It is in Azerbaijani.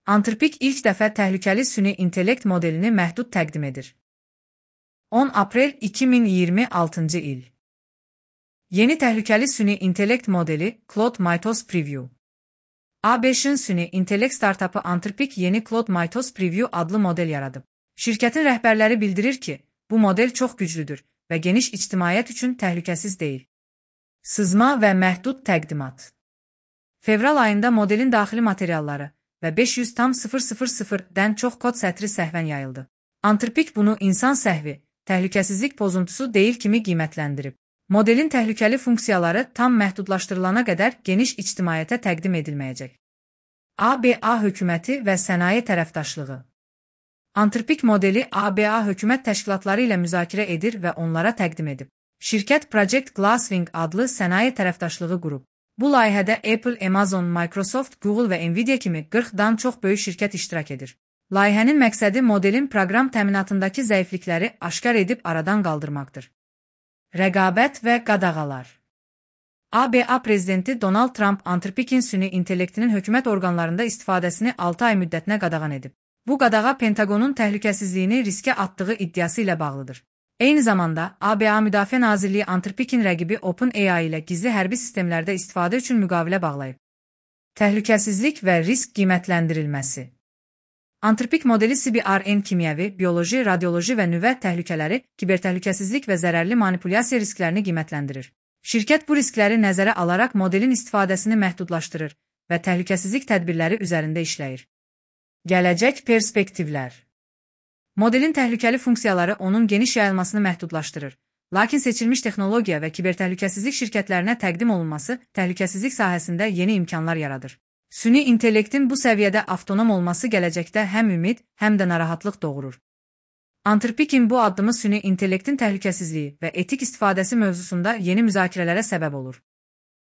Anthropic ilk dəfə təhlükəli süni intellekt modelini məhdud təqdim edir. 10 aprel 2026-cı il. Yeni təhlükəli süni intellekt modeli Claude Mythos Preview. A5-in süni intellekt startapı Anthropic yeni Claude Mythos Preview adlı model yaradıb. Şirkətin rəhbərləri bildirir ki, bu model çox güclüdür və geniş ictimaiyyət üçün təhlükəsiz deyil. Sızma və məhdud təqdimat. Fevral ayında modelin daxili materialları və 500,000-dən çox kod sətri səhvən yayıldı. Anthropic bunu insan səhvi, təhlükəsizlik pozuntusu deyil kimi qiymətləndirib. Modelin təhlükəli funksiyaları tam məhdudlaşdırılana qədər geniş ictimaiyyətə təqdim edilməyəcək. ABA hökuməti və sənaye tərəfdaşlığı. Anthropic modeli ABA hökumət təşkilatları ilə müzakirə edir və onlara təqdim edib. Şirkət Project Glasswing adlı sənaye tərəfdaşlığı qurub. Bu layihədə Apple, Amazon, Microsoft, Google və Nvidia kimi 40-dan çox böyük şirkət iştirak edir. Layihənin məqsədi modelin proqram təminatındakı zəiflikləri aşkar edib aradan qaldırmaqdır. Rəqabət və qadağalar. ABA prezidenti Donald Trump Anthropic'in süni intellektinin hökumət orqanlarında istifadəsini 6 ay müddətinə qadağan edib. Bu qadağa Pentagonun təhlükəsizliyini riskə atdığı iddiası ilə bağlıdır. Eyni zamanda, ABA Müdafiə Nazirliyi Anthropic'in rəqibi OpenAI ilə gizli hərbi sistemlərdə istifadə üçün müqavilə bağlayıb. Təhlükəsizlik və risk qiymətləndirilməsi. Anthropic modeli CBRN kimyəvi, bioloji, radioloji və nüvə təhlükələri, kibertəhlükəsizlik və zərərli manipulyasiya risklərini qiymətləndirir. Şirkət bu riskləri nəzərə alaraq modelin istifadəsini məhdudlaşdırır və təhlükəsizlik tədbirləri üzərində işləyir. Gələcək perspektivlər. Modelin təhlükəli funksiyaları onun geniş yayılmasını məhdudlaşdırır. Lakin seçilmiş texnologiya və kibertəhlükəsizlik şirkətlərinə təqdim olunması təhlükəsizlik sahəsində yeni imkanlar yaradır. Süni intellektin bu səviyyədə avtonom olması gələcəkdə həm ümid, həm də narahatlıq doğurur. Anthropic'in bu addımı süni intellektin təhlükəsizliyi və etik istifadəsi mövzusunda yeni müzakirələrə səbəb olur.